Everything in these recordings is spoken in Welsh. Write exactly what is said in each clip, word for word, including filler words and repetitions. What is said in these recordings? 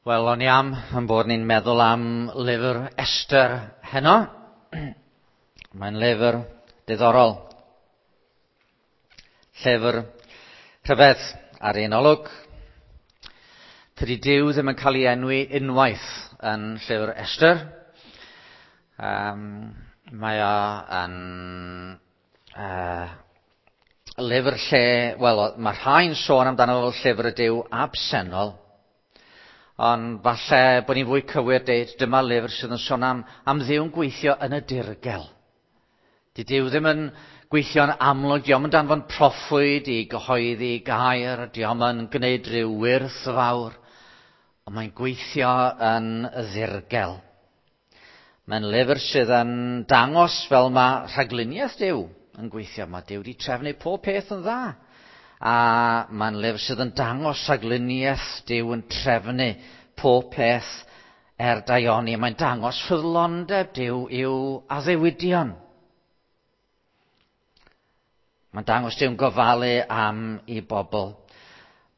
Wel, o'n i am yn bod ni'n meddwl am lyfr Esther heno. Mae'n lyfr diddorol. Llyfr rhyfedd ar un olwg. Tydi Duw ddim yn cael ei enwi unwaith yn llyfr Esther. Um, mae o yn uh, lyfr lle, wel, mae rhai'n sôn amdano fel llyfr y Duw absennol. Ond falle bod ni'n fwy cywir deud dyma lyfr sydd yn sôn am, am Dduw'n gweithio yn y dirgel. Di Duw ddim yn gweithio'n amlwg, dio'm yn danfon proffwyd i gyhoeddi gair, dio'm yn gwneud rhyw wyrth fawr, ond mae'n gweithio yn y ddirgel. Mae'n lyfr sydd yn dangos fel mae rhagluniaeth Duw yn gweithio. Mae Duw wedi trefnu pob peth yn dda. A mae'n lyfr sydd yn dangos rhagluniaeth Duw yn trefnu pob peth er daioni. Mae'n dangos ffyddlondeb Duw i'w addewidion. Mae'n dangos Duw'n gofalu am ei bobl.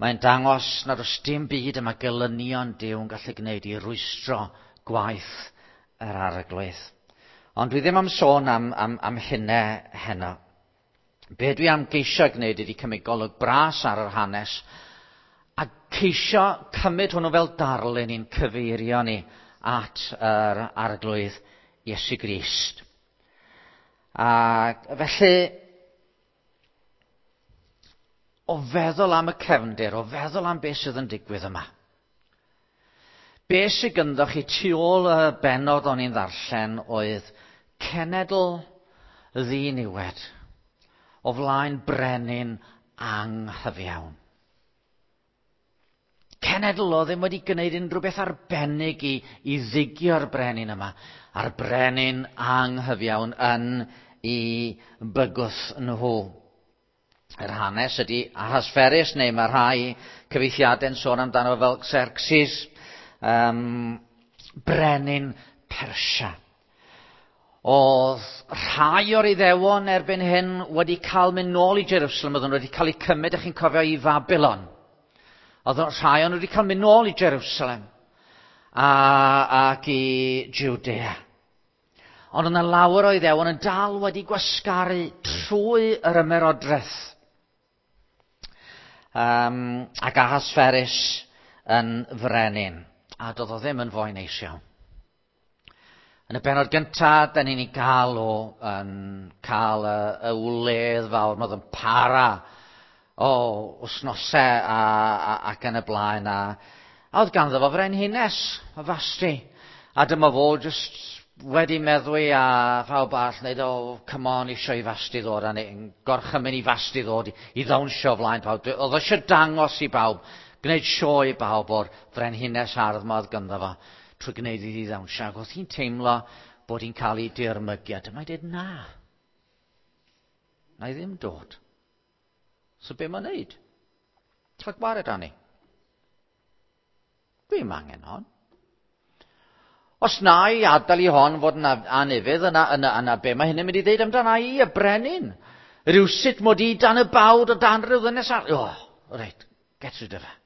Mae'n dangos nad oes dim byd yma gelynion Duw yn gallu gwneud i rwystro gwaith yr Arglwydd. Ond dwi ddim am sôn am, am, am hynna heno. Be dwi am geisio gwneud ydy cymryd golwg bras ar yr hanes a ceisio cymryd hwnnw fel darlun i'n cyfeirio ni at yr Arglwydd Iesu Grist. A felly, o feddwl am y cefndir, o feddwl am beth sydd yn digwydd yma, be sydd gynddo chi tu ôl y bennod o'n i'n ddarllen oedd cenedl ddiniwed o flaen brenin anghyfiawn. Cenedl o ddim wedi gwneud unrhyw beth arbennig i, i ddigio'r brenin yma, a'r brenin anghyfiawn yn ei bygwth nhw. Yr hanes ydy Ahasferus, neu mae rhai cyfieithiadau'n sôn amdano fel Xerxes, um, brenin Persia. Oedd rhai o'r Iddewon erbyn hyn wedi cael mynd nôl i Jerusalem, oedden nhw wedi cael eu cymryd, ych chi'n cofio, i Babylon. Oedd rhai o'n nhw wedi cael mynd nôl i Jerusalem a, ac i Judea. Ond yna lawer o Iddewon yn dal wedi gwasgaru trwy yr ymerodraeth. Um, ac Ahasferus yn frenin. A doedd o ddim yn foi neis iawn. Yn y bennod gyntaf, da ni'n ei gael o yn cael y, y wledd fawr, mae o'n para o wythnosau a, a, ac yn y blaen. A, a oedd ganddo fo frenhines, y Fasti. A dyma fo just wedi meddwi a phawb arall wneud, o, come on, eisiau i Fasti ddod, a neu, gorchymyn i Fasti ddod i, i ddawnsio flaen pawb. Oedd eisiau dangos i bawb, gwneud sioe i bawb o'r frenhines hardd ma oedd ganddo fo, trwy gwneud iddi ddawnsio. Ac oedd hi'n teimlo bod hi'n cael ei dirmygu. A dyma hi dweud, na, na i ddim dod. So be mae'n neud? Cael gwared arni. Dwi'm angen hon. Os na i adael i hon fod yn anufudd, yna, yna, yna be mae hynny'n mynd i ddeud amdana i, y brenin? Rhywsut mod i dan y bawd o dan rhyw ddynes ar... Oh, reit, get rid of her.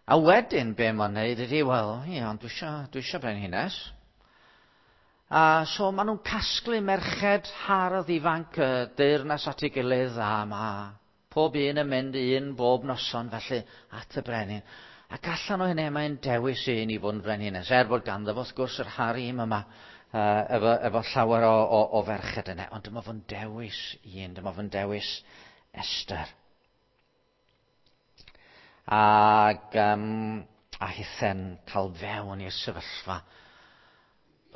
A wedyn be mae'n neud ydy, wel, ie, ond dwi eisiau, dwi eisiau brenhines. A so maen nhw'n casglu merched hardd ifanc y deyrnas at ei gilydd, a mae pob un yn mynd un bob noson felly at y brenin. Ac allan o hynny mae'n dewis un i fod yn frenhines, er bod ganddo fo wrth gwrs yr harem yma, uh, efo, efo llawer o, o, o ferched yna. Ond dyma fo'n dewis un, dyma fo'n dewis Esther. Ac um, a hithen cael fewn i'r sefyllfa.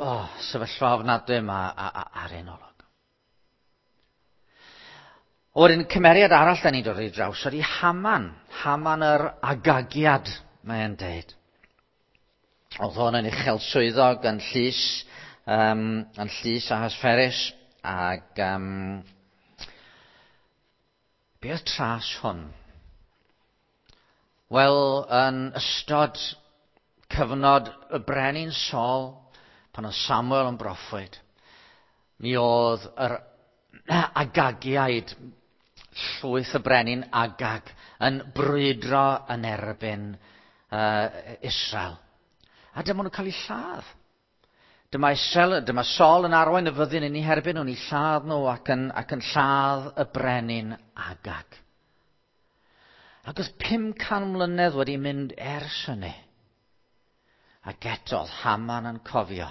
Oh, sefyllfa ofnadwy yma ar un olwg. Wedyn cymeriad arall da ni'n dod i draws ydy Haman. Haman yr Agagiad, mae'n deud. Oedd hwn yn uchel swyddog yn llys, um, yn llys Ahasferus, ac um, be oedd tras hwn? Wel, yn ystod cyfnod y brenin Saul, pan oedd Samuel yn broffwyd, mi oedd yr Agagiaid, llwyth y brenin Agag, yn brwydro yn erbyn uh, Israel. A dyma nhw'n cael eu lladd. Dyma Israel, dyma Saul yn arwain y fyddin yn eu herbyn nhw'n eu lladd nhw ac yn, ac yn lladd y brenin Agag. Ac oedd pum can mlynedd wedi mynd ers hynny. Ac eto oedd Haman yn cofio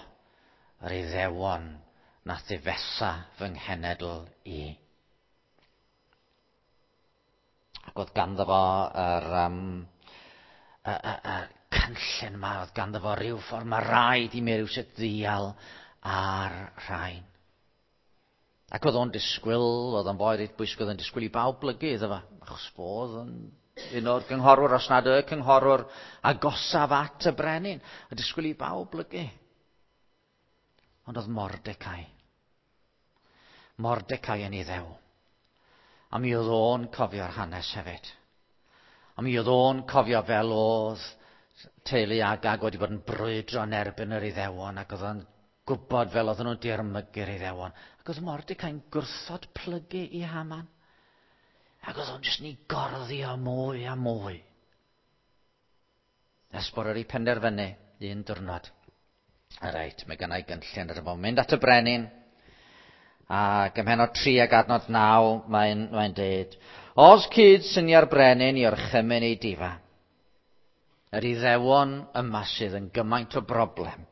yr Iddewon nath ddifetha fy nghenedl i. Ac oedd ganddo fo yr, um, y, y, y cynllun yma, oedd ganddo fo rhyw ffordd, mae rhaid i mi rywsut ddial ar rhain. Ac oedd o'n disgwyl, oedd o'n boi reit bwysig, oedd o'n disgwyl i bawb blygu iddo fo, achos fo oedd yn un o'r gynghorwyr, os nad y cynghorwr agosaf at y brenin, a disgwyl i bawb blygu. Ond oedd Mordecai. Mordecai yn Iddew. A mi oedd o'n cofio'r hanes hefyd. A mi oedd o'n cofio fel oedd teulu Agag wedi bod yn brwydro yn erbyn yr Iddewon, ac oedd o'n gwybod fel oedden nhw'n dirmygu'r Iddewon. Ac oedd Mordecai'n gwrthod plygu i Haman. Ac oedd o'n jyst ni gorddio mwy a mwy. Nes bod wedi penderfynu un diwrnod. Reit, mae gynna i gynllun ar y foment. Mynd at y brenin. Ac ym mhennod tri ac adnod naw, mae'n mae deud, os cyd synia'r brenin i orchymyn ei difa, yr Iddewon yma sydd yn gymaint o broblem.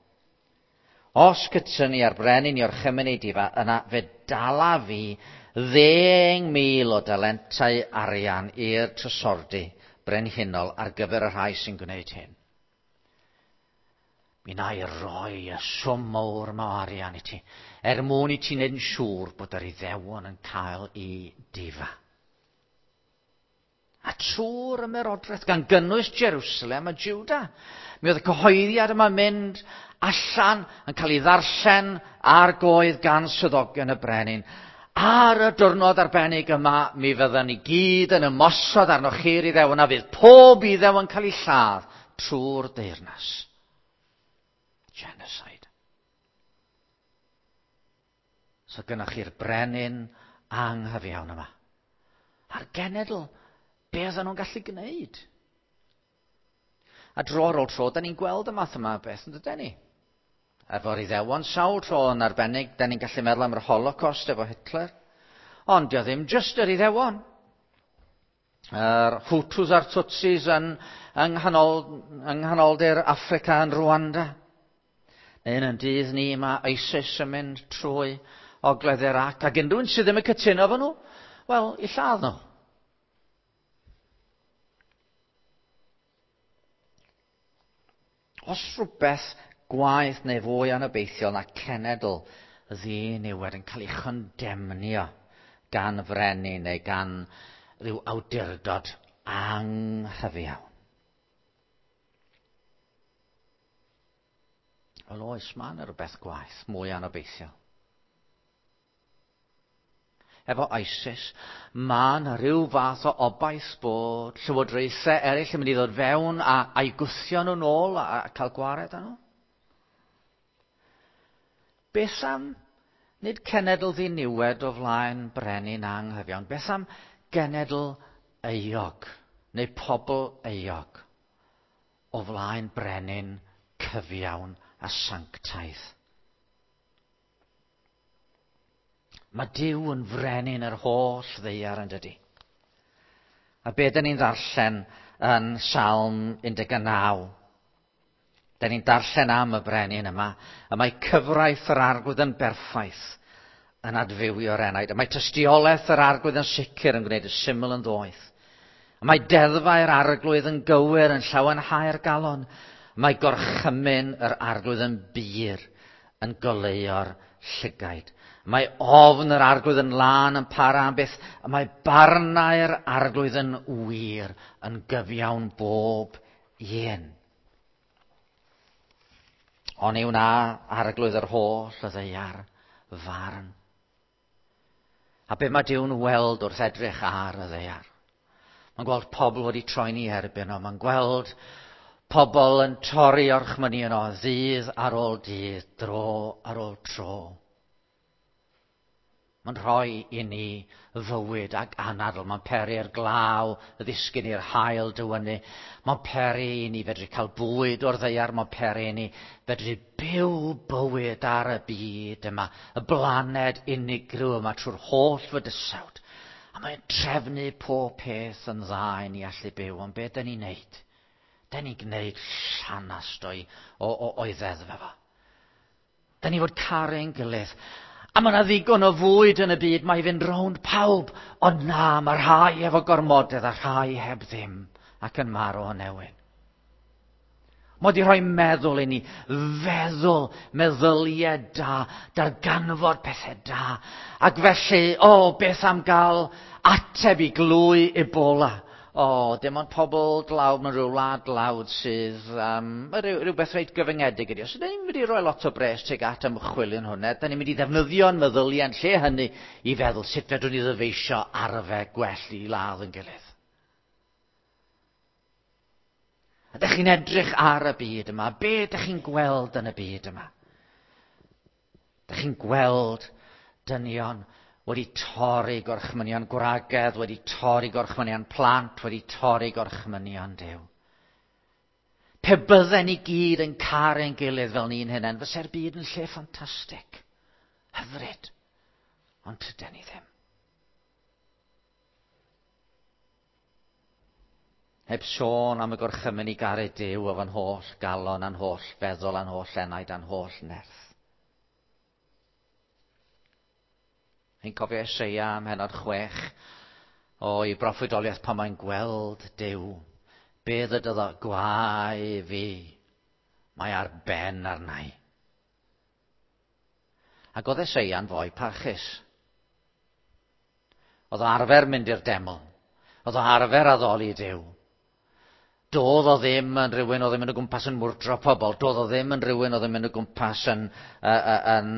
Os cydsyni ar brenin i orchymyn ei difa, yna fe dala fi ddeng mil o dalentau arian i'r trysordy brenhinol ar gyfer y rhai sy'n gwneud hyn. Mi na i roi y swm mawr yma o arian i ti, er mwyn i ti wneud yn siŵr bod yr Iddewon yn cael ei difa. A trwy'r ymerodraeth, gan gynnwys Jerusalem a Juda, mi oedd y cyhoeddiad yma'n mynd allan yn cael ei ddarllen ar goedd gan swyddogion y brenin. Ar y diwrnod arbennig yma, mi fyddan ni gyd yn ymosod arnoch chi'r Iddewon, a fydd pob Iddew yn cael ei lladd trwy'r deyrnas. Genocide. So gynnwch chi'r brenin anghyfiawn yma. A'r genedl, be oedden nhw'n gallu gwneud? A dro ar ôl tro, da ni'n gweld y math yma o beth yn dydyn ni. Efo'r Iddewon sawl tro yn arbennig, da ni'n gallu meddwl am yr Holocaust efo Hitler. Ond dio ddim jyst yr Iddewon. Yr Hutus a'r Tutsis yn, yng nghanol, yng nghanoldir Affrica yn Rwanda. Neu yn dydd ni mae ISIS yn mynd trwy ogledd Iraq. Ac unrhyw un sydd ddim yn cytuno efo nhw, wel, i lladd nhw. Os rhywbeth gwaeth neu fwy anobeithiol na cenedl ddiniwed yn cael ei chondemnio gan frenin neu gan ryw awdurdod anghyfiawn. Wel oes, mae yna rhywbeth gwaeth, mwy anobeithiol. Efo ISIS, mae yna rhyw fath o obaith bod llywodraethau eraill yn mynd i ddod fewn a, a'i gwthio nhw'n ôl a, a cael gwared â nhw. Beth am nid cenedl ddiniwed o flaen brenin anghyfiawn? Beth am genedl euog neu pobl euog o flaen brenin cyfiawn a sanctaidd? Mae Duw yn frenin yr holl ddaear yn dydi. A be dyn ni'n ddarllen yn Salm un deg naw? Dyn ni'n darllen am y brenin yma. A mae cyfraith yr Arglwydd yn berffaith yn adfywio'r enaid. A mae tystiolaeth yr Arglwydd yn sicr yn gwneud y syml yn ddoeth. A mae deddfau'r Arglwydd yn gywir yn llawenhau'r galon. A mae gorchymyn yr Arglwydd yn bur yn goleuo'r llygaid. Mae ofn yr Arglwydd yn lân yn para am byth. A mae barnau'r Arglwydd yn wir yn gyfiawn bob un. Oni wna Arglwydd yr holl y ddaear farn. A be mae Duw'n weld wrth edrych ar y ddaear? Mae'n gweld pobl wedi troi'n ei erbyn o. Mae'n gweld pobl yn torri orchmynion o ddydd ar ôl dydd, dro ar ôl tro. Mae'n rhoi i ni fywyd ac anadl. Mae'n peri'r glaw, y ddisgyn i'r haul dywynnu. Mae'n peri i ni fedru cael bwyd o'r ddaear. Mae'n peri i ni fedru byw bywyd ar y byd yma, y blaned unigryw yma trwy'r holl fydysawd. A mae'n trefnu pob peth yn dda i ni allu byw. Ond be dyn ni'n neud? Dyn ni'n gwneud llanast o'i, o, o, o'i ddeddf efo. Dyn ni fod caru'n gilydd. A mae yna ddigon o fwyd yn y byd, mae i fynd rownd pawb. Ond na, mae rhai efo gormodedd a rhai heb ddim ac yn marw o newyn. Mae wedi rhoi meddwl i ni, feddwl, meddyliau da, darganfod pethau da. Ac felly, o, oh, beth am gael ateb i glwy Ebola? O, oh, dim ond pobl dlawd mewn rhyw wlad dlawd sydd, um, rhyw, rhywbeth reit gyfyngedig ydi. Os ydyn ni'n mynd i roi lot o bres tuag at ymchwil yn hwnna, da ni'n mynd i ddefnyddio'n meddyliau yn lle hynny i feddwl sut fedrwn ni ddyfeisio arfer gwell i ladd yn gilydd. A dych chi'n edrych ar y byd yma, be dych chi'n gweld yn y byd yma? Dych chi'n gweld dynion wedi torri gorchmynion gwragedd, wedi torri gorchmynion plant, wedi torri gorchmynion Duw. Pe bydden ni gyd yn caru'n gilydd fel ni'n hunain, fysa'r byd yn lle ffantastig, hyfryd, ond tyden ni ddim. Heb sôn am y gorchymyn i garu Duw efo'n holl galon, a'n holl feddwl, a'n holl enaid, a'n holl nerth. Chi'n cofio Eseia am hennod chwech o'i broffwydoliaeth pan mae'n gweld Duw. Be ddydodd o? Gwae fi, mae ar ben arna i. Ac oedd Eseia'n foi parchus. Oedd o arfer mynd i'r deml. Oedd o arfer addoli Duw. Doedd o ddim yn rhywun oedd yn mynd o gwmpas yn mwrdro pobl. Doedd o ddim yn rhywun oedd yn mynd o gwmpas yn, uh, yn,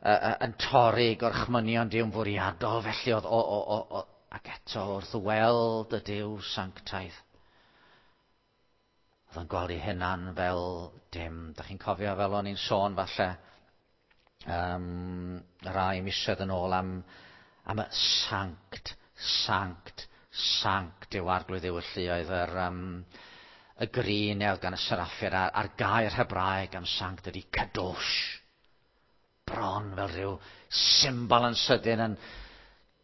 uh, yn torri gorchmynion Duw'n fwriadol. Felly oedd o, o, o, o, ac eto wrth weld y Duw sanctaidd, oedd yn gweld ei hunan fel dim. Dach chi'n cofio fel o'n i'n sôn falle um, rai misoedd yn ôl am, am y sanct, sanct, sanct yw arglwydd yw y lluoedd, yr, um, y grin oedd gan y seraffir a'r, a'r gair Hebraeg am sanct ydy kadosh. Bron fel rhyw symbol yn sydyn yn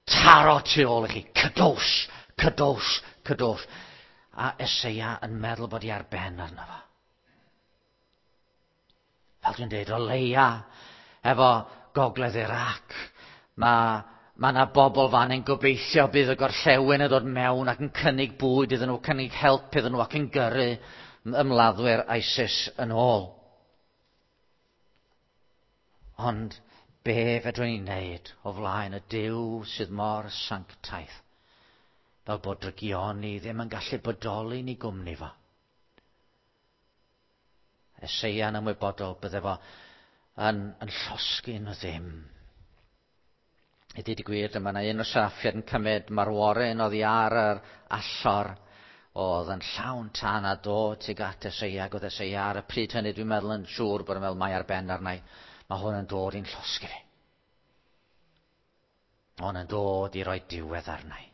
taro tu ôl i chi. Kadosh, kadosh, kadosh. A Eseia yn meddwl bod hi ar ben arno fo. Fel dwi'n dweud, o leia efo gogledd Iraq, mae Mae yna bobl fan yn gobeithio bydd y gorllewin yn dod mewn ac yn cynnig bwyd iddyn nhw, cynnig help iddyn nhw ac yn gyrru ymladdwyr ISIS yn ôl. Ond be fedrwn ni wneud o flaen y Duw sydd mor sanctaidd, fel bod drygioni ddim yn gallu bodoli ni gwmni fo. Eseia'n ymwybodol bydde fo yn, yn llosgi nhw ddim. I ddweud y gwir, dyma yna un o seraffiaid yn cymryd marworyn oddi ar yr allor oedd yn llawn tân a dod tuag at Eseia, ac oedd Eseia ar y pryd hynny, dwi'n meddwl yn siŵr bod yn meddwl mae ar ben arna i. Mae hwn yn dod i'n llosgi fi. Mae hwn yn dod i roi diwedd arna i.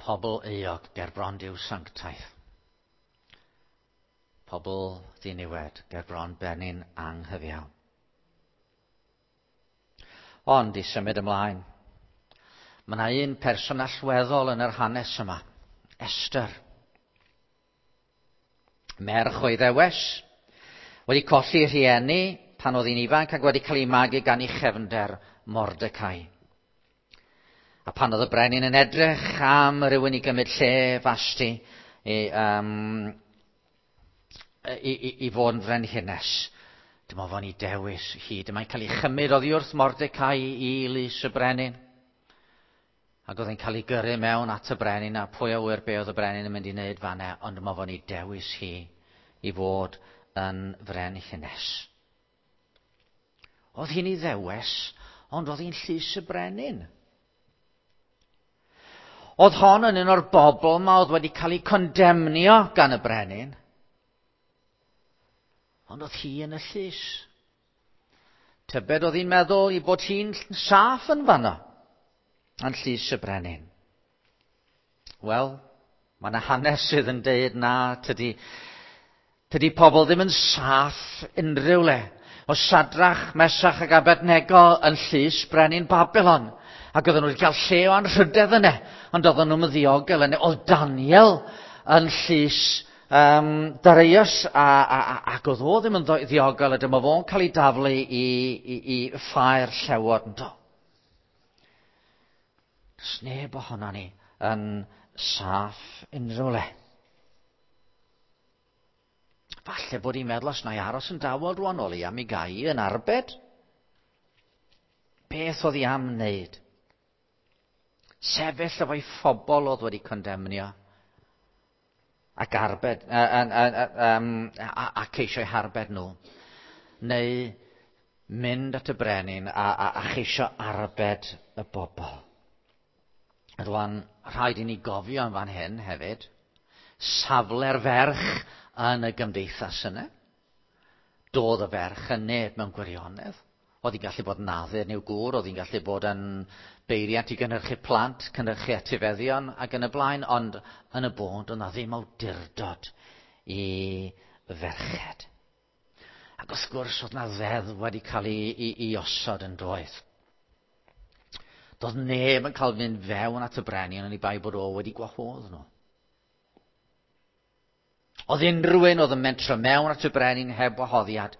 Pobl euog ger bron Duw sanctaidd. Pobl ddiniwed ger bron brenin anghyfiawn. Ond i symud ymlaen, mae yna un person allweddol yn yr hanes yma, Esther. Merch o'i ddewes, wedi colli rhieni pan oedd hi'n ifanc ac wedi cael ei magu gan ei chefnder Mordecai. A pan oedd y brenin yn edrych am rywun i gymryd lle Vashti i, um, i, i, i fod yn frenhines, dyma fo'n ei dewis hi. Dyma'n cael ei chymryd oddi wrth Mordecai i lys y brenin. Ac oedd hi'n cael ei gyrru mewn at y brenin, a pwy a ŵyr be oedd y brenin yn mynd i wneud fan'na, ond dyma fo'n ei dewis hi i fod yn frenhines. Oedd hi'n ei ddewis, ond oedd hi'n llys y brenin. Oedd hon yn un o'r bobl ma oedd wedi cael ei condemnio gan y brenin. Ond oedd hi yn y llys. Tybed oedd hi'n meddwl i bod hi'n saff yn fanno, yn llys y brenin. Wel, mae yna hanes sydd yn deud na, tydi, tydi pobl ddim yn saff unrhyw le. O Sadrach, Mesach ac Abednego yn llys brenin Babylon. Ac oedden nhw wedi cael lle o anrhydedd yna, ond oedden nhw'n ddiogel yna. Oedd Daniel yn llys um, Darius, a, a, a, ac oedd o ddim yn ddiogel, a dyma fo'n cael ei daflu i, i, i ffair llewod yn do. Does neb ohono ni yn saff unrhyw le. Falle bod hi'n meddwl os na i aros yn dawel rwan o leia mi gai yn arbed. Beth oedd hi am wneud? Sefyll efo'i phobl oedd wedi condemnio ac arbed, a, a, a, a, a, a ceisio eu harbed nhw. Neu mynd at y brenin a, a, a cheisio arbed y bobl. Rwan, rhaid i ni gofio yn fan hyn hefyd, safle'r ferch yn y gymdeithas yna. Doedd y ferch yn neb mewn gwirionedd. Oedd hi'n gallu bod yn addurn i'w gŵr, oedd hi'n gallu bod yn beiriant i gynhyrchu plant, cynhyrchu etifeddion ac yn y blaen, ond yn y bôn, doedd na ddim awdurdod i ferched. Ac wrth gwrs, oedd na ddeddf wedi cael ei, ei, ei osod yn doedd. Doedd neb yn cael fynd fewn at y brenin oni bai bod o wedi gwahodd nhw. Oedd unrhyw un oedd yn mentro mewn at y brenin heb wahoddiad,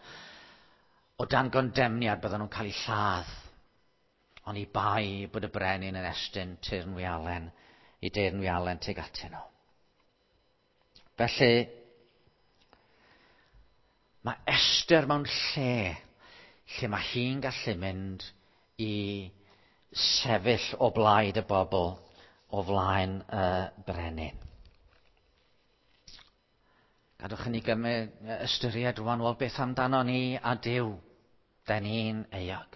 o dan gondemniad bydden nhw'n cael eu lladd. Oni bai bod y brenin yn estyn teyrnwialen i deyrnwialen tuag atyn nhw. Felly, mae Esther mewn lle lle mae hi'n gallu mynd i sefyll o blaid y bobl o flaen y brenin. Gadwch i ni gymryd ystyried rwan, wel beth amdano ni a Duw, den ni'n euog.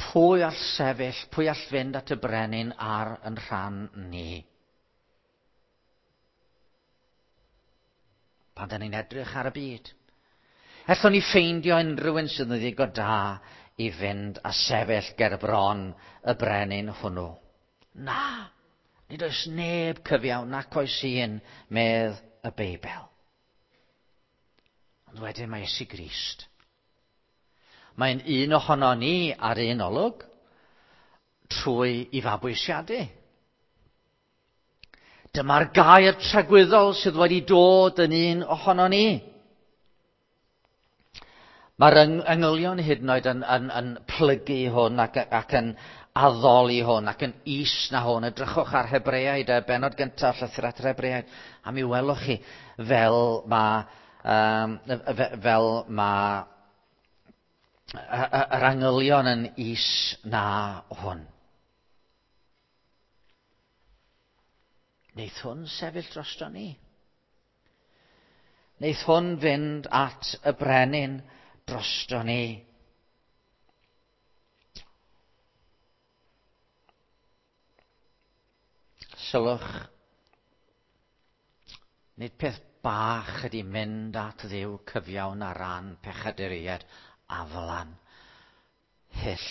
Pwy all sefyll, pwy all fynd at y brenin ar yn rhan ni? Pan den ni'n edrych ar y byd, allwn ni ffeindio unrhyw un sydd yn ddigon da i fynd a sefyll ger bron y brenin hwnnw? Na, nid oes neb cyfiawn nac oes un, medd y Beibl. Ond wedyn mae Iesu Grist. Mae'n un ohono ni ar un olwg trwy i fabwysiadu. Dyma'r gair tragwyddol sydd wedi dod yn un ohono ni. Mae'r angylion hyd yn oed yn, yn, yn plygu hwn ac, ac yn addoli hwn ac yn is na hwn. Edrychwch ar Hebreaid, y bennod gyntaf, llythyr at yr Hebreaid, a mi welwch chi fel mae Um, fel mae yr angylion yn is na hwn. Neith hwn sefyll drosto ni. Neith hwn fynd at y brenin drosto ni. Sylwch, nid peth bach ydy mynd at Dduw cyfiawn ar ran pechaduriaid aflan, hyll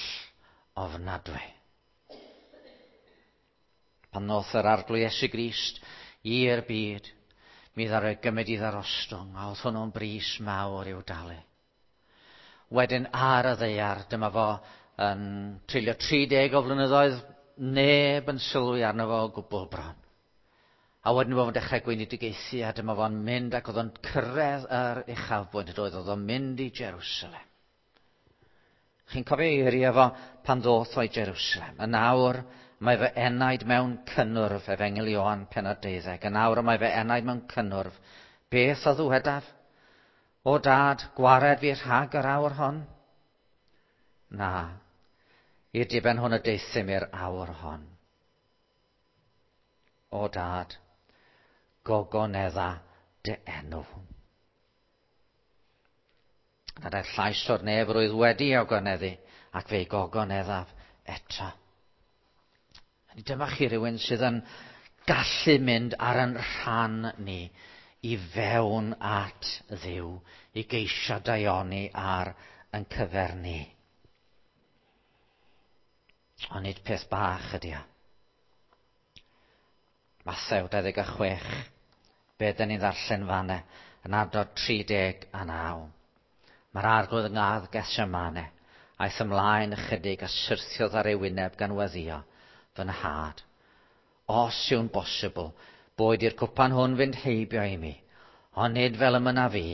ofnadwy. Pan ddoth yr Arglwydd Iesu Grist i'r byd, mi ddaru gymryd i ddarostwng, a oedd hwnnw'n bris mawr i'w dalu. Wedyn ar y ddaear, dyma fo yn treulio tri deg o flynyddoedd, neb yn sylwi arno fo o gwbl bron. A wedyn fo'n dechrau gweinidogaethu, a dyma fo'n mynd ac oedd o'n cyrraedd yr uchafbwynt, oedd oedd o'n mynd i Jerusalem. Chi'n cofio eiriau fo pan ddoth o i Jerusalem. Yn awr mae fy enaid mewn cynnwrf, Efengyl Ioan pennod deuddeg. Yn awr mae fy enaid mewn cynnwrf. Beth a ddywedaf? O dad, gwared fi rhag yr awr hon? Na, i'r diben hwn y deuthum i'r awr hon. O dad, gogonedda dy enw. A daeth llais o'r nef roedd wedi ogoneddu, ac fe'i gogoneddaf eto. Dyma chi rhywun sydd yn gallu mynd ar yn rhan ni i fewn at Dduw, i geisio daioni ar yn cyfer ni. Ond nid peth bach ydy o. Mathew dau ddeg a chwech, be dyn ni'n ddarllen fanne, yn adnod tri deg a naw. Mae'r arglwydd yng Ngardd Gethsemane, aeth ymlaen ychydig a syrthiodd ar ei wyneb gan weddio, fy nhad. Os yw'n bosibl, boed i'r cwpan hwn fynd heibio i mi, ond nid fel y mynna fi,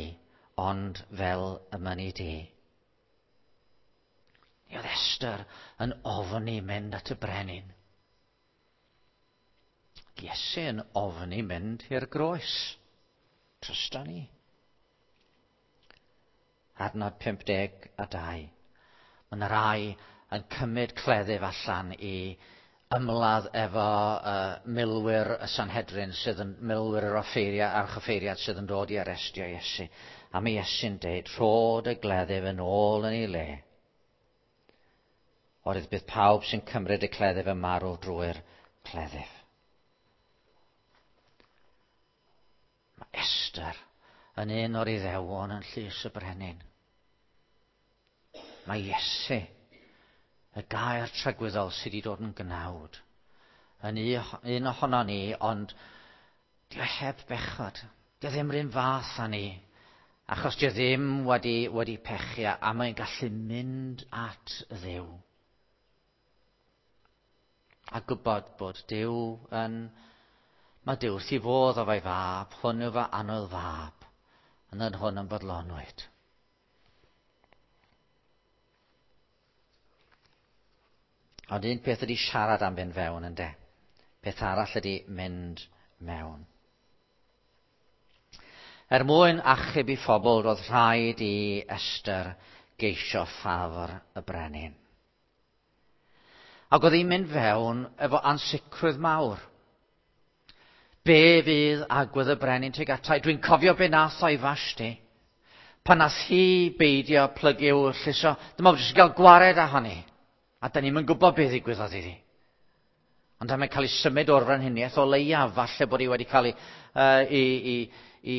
ond fel y mynni di. Mi oedd Esther yn ofni mynd at y brenin. Iesu yn ofni mynd i'r groes. Trysta ni. Adnod pump deg a dau. Mae yna rai yn cymryd cleddyf allan i ymladd efo uh, milwyr y Sanhedrin sydd yn milwyr yr offeiriad, archoffeiriad sydd yn dod i arestio Iesu. A mae Iesu'n deud, rhod y gleddyf yn ôl yn ei le. Oherwydd bydd pawb sy'n cymryd y cleddyf yn marw drwy'r cleddyf. Mae Esther yn un o'r Iddewon yn llys y brenin. Mae Iesu, y gair tragwyddol sydd wedi dod yn gnawd, yn un ohono ni, ond dio heb bechod. Dio ddim rhywun fath â ni, achos dio ddim wedi, wedi pechu, a mae'n gallu mynd at Dduw. A gwybod bod Duw yn... Mae Duw wrth ei fodd o fe'i fab, hwn yw fy annwyl fab, yn yn hwn yn bodlonwyd. Ond un peth ydy siarad am fynd fewn, ynde. Peth arall ydy mynd mewn. Er mwyn achub i phobl, roedd rhaid i Esther geisio ffafr y brenin. Ac oedd hi'n mynd fewn efo ansicrwydd mawr. Be fydd agwedd y brenin tuag ata i? Dwi'n cofio be nath o'i Fashti. Pan nath hi beidio plygu wrth lluso, dyma fo jyst gael gwared ohoni. A da ni'm yn gwybod beth ddigwyddodd iddi. Ond am cael ei symud o'r frenhiniaeth o leiaf, falle bod hi wedi cael ei, uh, i, i, i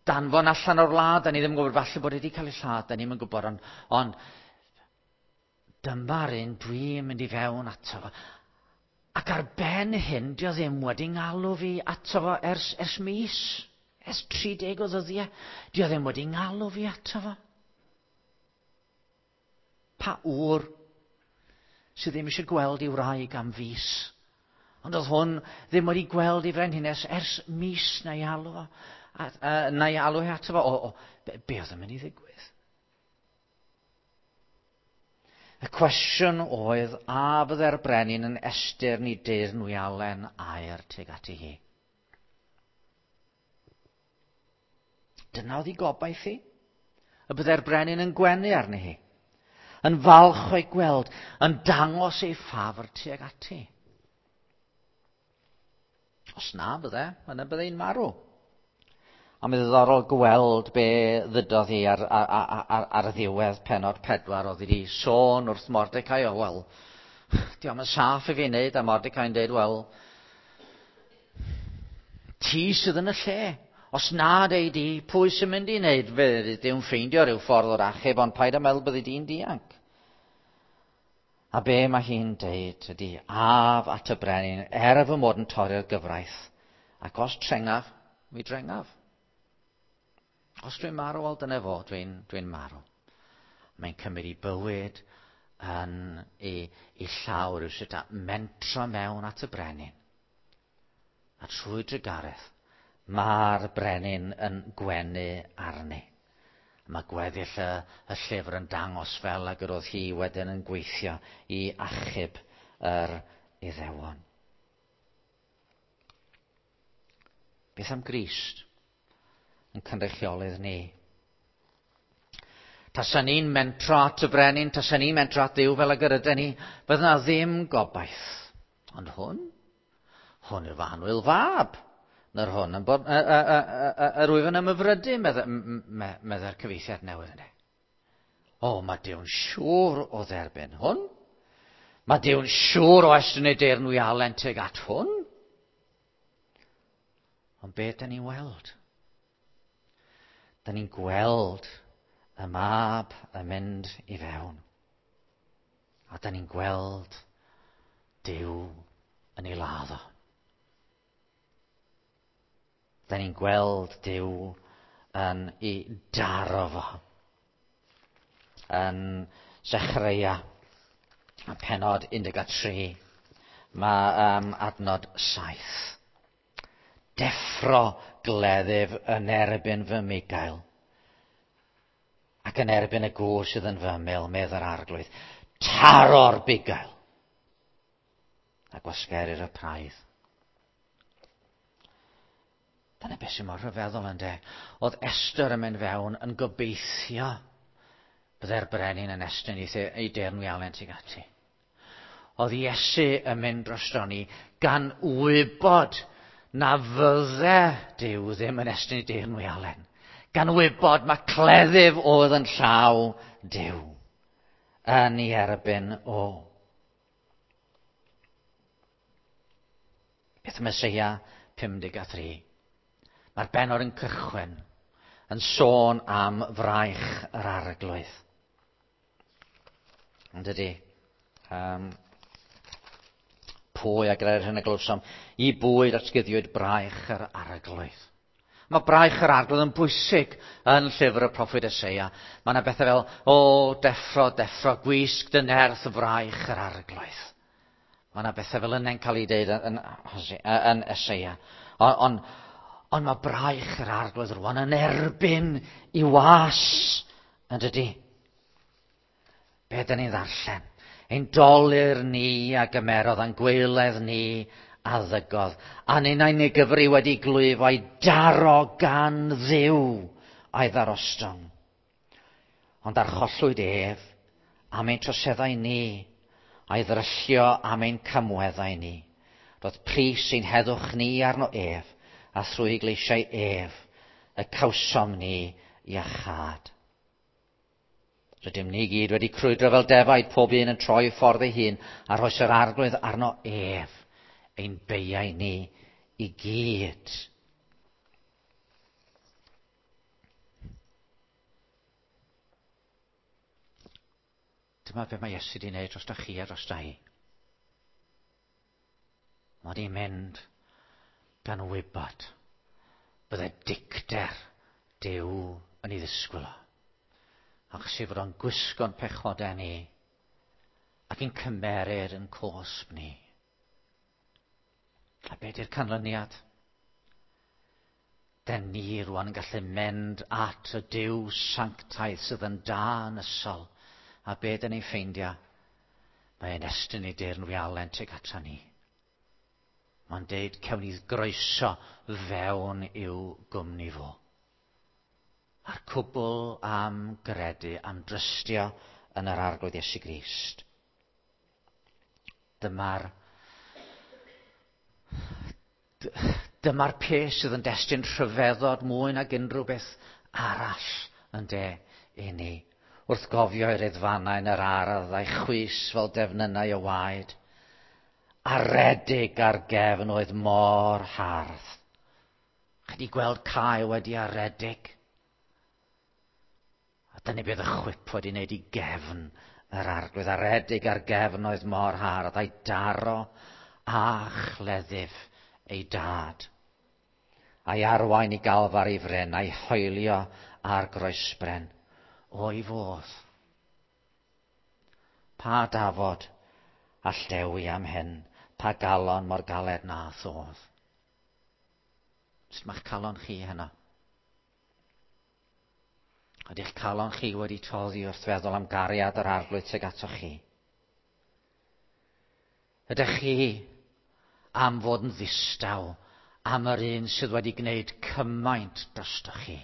danfon allan o'r wlad, da ni ddim yn gwybod, falle bod hi wedi cael ei lladd, da ni'm yn gwybod, ond, ond dyma'r un dwi'n mynd i fewn ato fo. Ac ar ben hyn, dio ddim wedi ngalw fi ato fo ers, ers mis, ers tri deg o ddyddiau. Dio ddim wedi ngalw fi ato fo. Pa ŵr sydd ddim eisiau gweld ei wraig am fis? Ond oedd hwn ddim wedi gweld ei frenhines ers mis na'i alw fo, a, a, na'i alw hi ato fo. O, o, be, be oedd yn mynd i ddigwydd? Y cwestiwn oedd, a fydde'r brenin yn estyrn i deyrnwialen aur tuag ati hi? Dyna oedd ei gobaith hi. Y bydde'r brenin yn gwenu arni hi, yn falch o'i gweld, yn dangos ei ffafr tuag ati. Os na bydde, yna bydde hi'n marw. A mae'n ddiddorol gweld be ddydodd hi ar, ar, ar, ar y ddiwedd pennod pedwar. Oedd hi wedi sôn wrth Mordecai, o wel, diolch yn saff i fi wneud, a Mordecai'n dweud, wel, ti sydd yn y lle. Os na dei di, pwy sy'n mynd i wneud? Fe Dduw'n ffeindio rhyw ffordd o'r achub, ond paid â meddwl byddi di'n dianc. A be mae hi'n deud ydy, af at y brenin, er fy mod yn torri'r gyfraith, ac os trengaf, mi drengaf. Os dwi'n marw, wel dyna fo, dwi'n dwi marw. Mae'n cymryd ei bywyd yn ei, ei llaw rhywsut a mentro mewn at y brenin. A trwy drugaredd, mae'r brenin yn gwenu arni. Mae gweddill y, y llyfr yn dangos fel ag yr oedd hi wedyn yn gweithio i achub yr Iddewon. Beth am Grist yn cynrychiolydd ni? Tasa ni'n mentro at y brenin, tasa ni'n mentro at Dduw fel ag yr ydyn ni, bydda na ddim gobaith. Ond hwn, hwn yw fy annwyl fab. Na'r hwn yn bod, yr wyf yn ymhyfrydu, medde'r cyfieithiad newydd yna. O, mae Duw'n siŵr o dderbyn hwn. Mae Duw'n siŵr o estyn ei deyrnwialen tuag at hwn. Ond beth da ni'n weld? Da ni'n gweld y mab yn mynd i fewn. A da ni'n gweld Duw yn ei ladd o. Da ni'n gweld Duw yn ei daro fo. Yn Zechreia, pennod un deg tri, mae um, adnod saith. Deffro gleddyf yn erbyn fy migael, ac yn erbyn y gŵr sydd yn fy ymyl, medd yr arglwydd. Taro'r bugail, a gwasgerir y praidd. Dyna beth sy'n mor rhyfeddol ynde. Oedd Esther yn mynd fewn yn gobeithio byddai'r brenin yn estyn ei deyrnwialen tuag ati. Oedd Iesu yn mynd drosto ni gan wybod na fydde Duw ddim yn estyn ei deyrnwialen. Gan wybod mae cleddyf oedd yn llaw Duw yn ei erbyn o. Beth am Eseia pum deg a thri? Mae'r bennod yn cychwyn yn sôn am fraich yr arglwydd. Ond ydy, um, pwy a gyda'r hyn y glywsom, i bwy datguddiwyd braich yr arglwydd. Mae braich yr arglwydd yn bwysig yn llyfr y proffwyd Eseia. Mae yna bethau fel, o, deffro, deffro, gwisg dy nerth fraich yr arglwydd. Mae yna bethau fel yna'n cael ei deud yn, yn, yn Eseia. Ond on, on mae braich yr arglwydd rwan yn erbyn i was, yn dydy? Be dyn ni'n ddarllen? Ein dolur ni a gymerodd, a'n gwaeledd ni a ddygodd. A ninnau'n ei gyfri wedi glwyfo a'i daro gan Dduw a'i ddarostwng. Ond archollwyd ef am ein troseddau ni, a'i ddryllio am ein camweddau ni. Roedd pris ein heddwch ni arno ef, a thrwy gleisiau ef, y cawsom ni iachâd. Rydym ni gyd wedi crwydro fel defaid, pob un yn troi ffordd ei hun, a rhoes yr arglwydd arno ef, ein beiau ni i gyd. Dyma be mae Iesu wedi wneud drosto chi a drosto hi. Mae wedi mynd gan wybod bydde dicter Duw yn ei ddisgwyl o. Achos ei fod o'n gwisgo'n pechodau ni ac yn cymerir yn cosb ni. A be di'r canlyniad? Den ni rwan yn gallu mynd at y Duw sanctaidd sydd yn da yn ysol. A be dyn ni'n ffeindio? Mae'n estyn ei deyrnwialen tuag ata ni. Mae'n deud cewn ni groeso fewn i'w gwmni fo. A'r cwbl am gredu, am drystio yn yr Arglwydd Iesu Grist. Dyma'r dyma'r peth sydd yn destun rhyfeddod mwy nag unrhyw beth arall yn de i ni. Wrth gofio i'r edfanau yn yr ardd a'i chwys fel defnynnau o waed, aredig ar gefn oedd mor hardd. Chi 'di gweld cae wedi aredig? A dyna beth y chwip wedi wneud i gefn yr arglwydd. Aredig ar gefn oedd mor hardd, a'i daro a chleddyf ei dad. A'i arwain i galfar ei fryn, a'i hoelio ar groesbren. O'i fodd. Pa dafod a llewi am hyn, pa galon mor galed na thodd. Sut mae'ch calon chi heno? Ydy'ch calon chi wedi toddi wrth feddwl am gariad yr arglwydd tuag atoch chi? Ydych chi am fod yn ddistaw am yr un sydd wedi gwneud cymaint drostoch chi?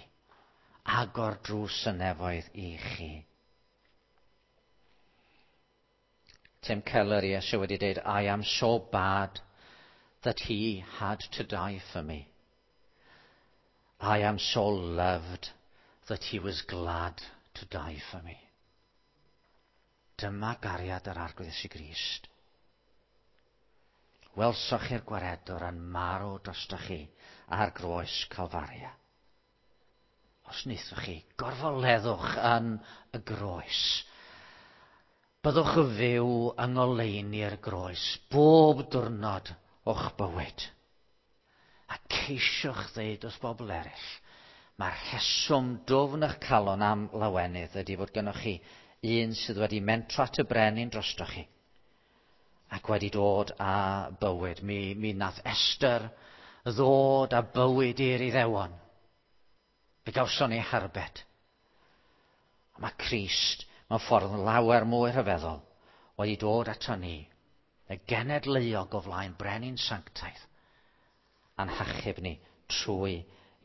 Agor drws y nefoedd i chi. Tim Keller, ie, sydd wedi dweud, I am so bad that he had to die for me. I am so loved that he was glad to die for me. Dyma gariad yr Arglwydd Iesu Grist. Welsoch chi'r gwaredwr yn marw drostoch chi ar groes Calfaria. Os wnaethoch chi, gorfoleddwch yn y groes. Byddwch yn fyw yng ngoleuni'r groes bob diwrnod o'ch bywyd. A ceisiwch ddeud wrth bobl eraill, mae'r rheswm dwfn eich calon am lawenydd ydy fod gennych chi un sydd wedi mentro at y brenin drostoch chi ac wedi dod â bywyd. Mi, mi nath Esther ddod â bywyd i'r Iddewon. Fe gawson ni harbed. Mae Crist mewn ffordd lawer mwy rhyfeddol wedi dod ato ni, y genedl euog o flaen brenin sanctaidd, a'n hachub ni trwy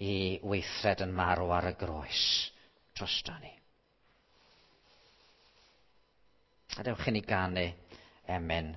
i weithred yn marw ar y groes drosto ni. A dewch i ni ganu emyn